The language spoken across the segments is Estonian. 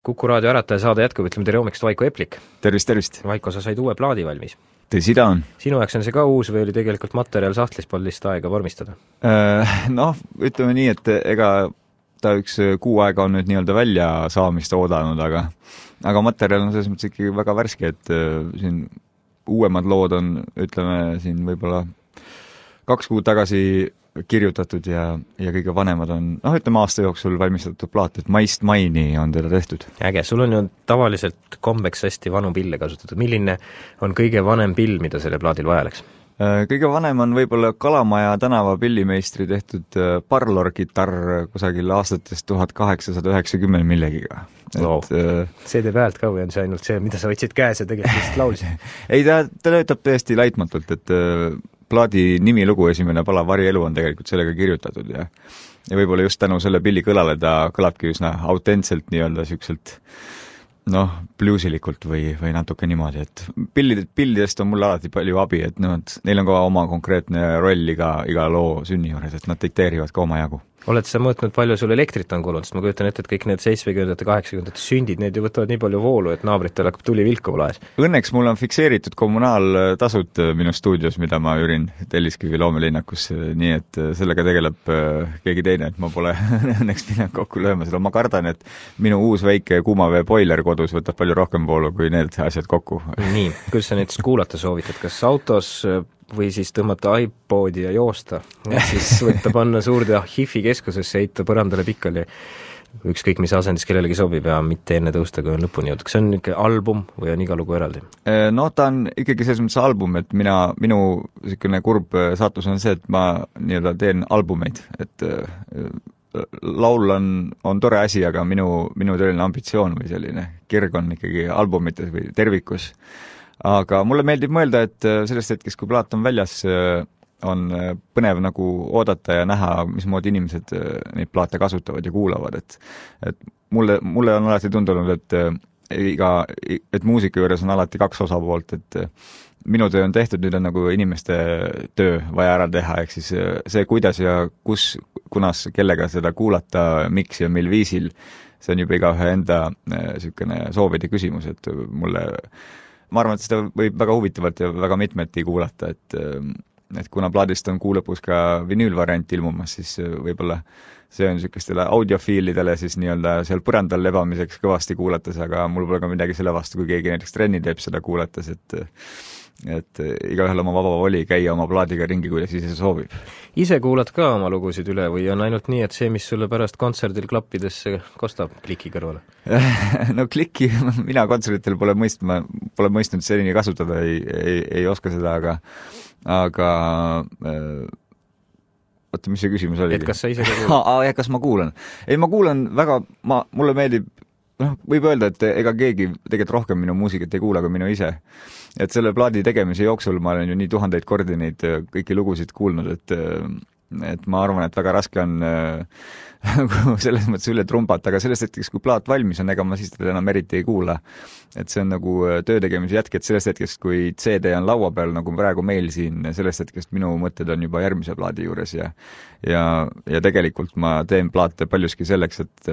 Kuku raadio Ärataja saade jätkub, ütleme tere hommikust, Vaiko Eplik. Tervist, tervist! Vaiko, sa said uue plaadi valmis. Tõsi ta on. Sinu jaoks on see ka uus või oli tegelikult materjal sahtlis poolist aega vormistada? Noh, ütleme nii, et ega ta üks kuu aega on nüüd nii-öelda välja saamist oodanud, aga materjal on selles mõttes ikkagi väga värske, et siin uuemad lood on, ütleme siin võib-olla 2 kuud tagasi kirjutatud ja kõige vanemad on, ütleme aasta jooksul valmistatud plaat, et maist maini on teda tehtud. Äge, sul on ju tavaliselt kombeks hästi vanu pille kasutatud. Milline on kõige vanem pill, mida selle plaadil vaja läks? Kõige vanem on võib-olla Kalamaja tänava pillimeistri tehtud Parlor-kitarr kusagil aastatest 1890 millegiga. Wow. See teeb häält ka või on see ainult see, mida sa võtsid käes ja tegelikult laulsid? Ei, ta töötab tõesti laitmatult, et plaadi nimilugu esimene pala Vari elu on tegelikult sellega kirjutatud ja võib-olla just tänu selle pilli kõlale ta kõlabki üsna autentselt nii-öelda siukselt bluusilikult või natuke niimoodi, et pillidest on mulle alati palju abi, et neil on ka oma konkreetne roll iga loo sünni juures, et nad dikteerivad ka oma jagu. Oled sa mõõtnud, palju sul elektrit on kulunud, sest ma kujutan ette, et kõik need 70-ndate, 80-ndate sündid, need ju võtavad nii palju voolu, et naabritel hakkab tuli vilkuma laes. Õnneks mul on fikseeritud kommunaaltasud minu stuudios, mida ma üürin Telliskivi loomelinnakus, nii et sellega tegeleb keegi teine, et ma pole õnneks midagi kokku lööma seda. Ma kardan, et minu uus väike kuumavee boiler kodus võtab palju rohkem voolu kui need asjad kokku. Nii, kuidas sa näiteks kuulata soovitad, kas autos või siis tõmmata iPodi ja joosta, siis võtta panna suurde HIF-i keskusesse, heita põrandale pikali, ükskõik mis asendis kellelegi sobib ja mitte enne tõusta, kui on lõpuni jõudnud. Kas see on ikka album või on iga lugu eraldi? Ta on ikkagi selles mõttes album, et minu selline kurb saatus on see, et ma nii-öelda teen albumeid, et laul on tore asi, aga minu tõeline ambitsioon või selline kirg on ikkagi albumites või tervikus. Aga mulle meeldib mõelda, et sellest hetkest, kui plaat on väljas, on põnev nagu oodata ja näha, mismoodi inimesed neid plaate kasutavad ja kuulavad, et mulle on alati tundunud, et muusika juures on alati 2 osapoolt, et minu töö on tehtud, nüüd on nagu inimeste töö vaja ära teha, ehk siis see, kuidas ja kunas, kellega seda kuulata, miks ja mil viisil, see on juba igaühe enda sükene soovide küsimus, et ma arvan, et seda võib väga huvitavalt ja väga mitmeti kuulata, et kuna plaadist on kuu lõpus ka vinüülvariant ilmumas, siis võib-olla see on niisugustele audiofiilidele siis nii-öelda seal põrandal lebamiseks kõvasti kuulates, aga mul pole ka midagi selle vastu, kui keegi näiteks trenni teeb seda kuulates, et igaühel oma vaba voli käia oma plaadiga ringi, kuidas ise soovib. Ise kuulad ka oma lugusid üle või on ainult nii, et see, mis sulle pärast kontserdil klappidesse kostab kliki kõrvale? No klikki mina kontserditel pole mõistnud senini kasutada, ei oska seda, aga oota, mis see küsimus oli? Et kas sa ise ka kuulad? Kas ma kuulan? Ei, ma kuulan väga, mulle meeldib, võib öelda, et ega keegi tegelikult rohkem minu muusikat ei kuula kui minu ise. Et selle plaadi tegemise jooksul ma olen ju nii 1000 kordi neid kõiki lugusid kuulnud, et ma arvan, et väga raske on selles mõttes üle trumbata, aga sellest hetkest, kui plaat valmis on, ega ma siis teda enam eriti ei kuula. Et see on nagu töö tegemise jätk, et sellest hetkest, kui CD on laua peal, nagu praegu meil siin, sellest hetkest minu mõtted on juba järgmise plaadi juures ja tegelikult ma teen plaate paljuski selleks, et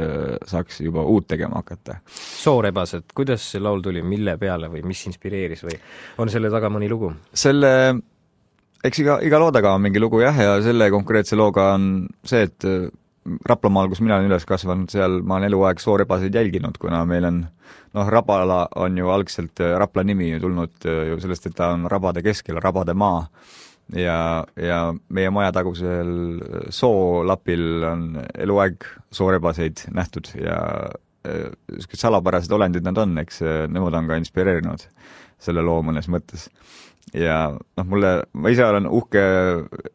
saaks juba uut tegema hakata. Soorebased, kuidas see laul tuli, mille peale või mis inspireeris või on selle taga mõni lugu? Eks iga loo taga on mingi lugu ja selle konkreetse looga on see, et Raplamaal, kus mina olen üles kasvanud, seal ma olen eluaeg soorebaseid jälginud, kuna meil on, Rapala on ju algselt Rapla nimi tulnud ju sellest, et ta on rabade keskel, rabade maa ja meie majatagusel soolapil on eluaeg soorebaseid nähtud ja salapärased olendid nad on, eks nemad on ka inspireerinud selle loo mõnes mõttes. Ja ma ise olen uhke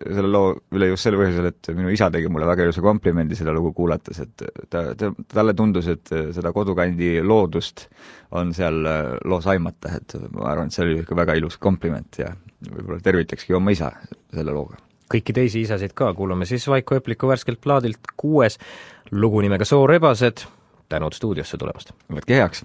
selle loo üle just selle põhjusel, et minu isa tegi mulle väga ilusa komplimendi seda lugu kuulates, et talle tundus, et seda kodukandi loodust on seal loos aimata, et ma arvan, et see oli ikka väga ilus kompliment ja võib-olla tervitakski oma isa selle looga. Kõiki teisi isasid ka kuulame siis Vaiko Epliku värskelt plaadilt 6 lugu nimega Soorebased. Tänud stuudiosse tulemast. Võtke heaks!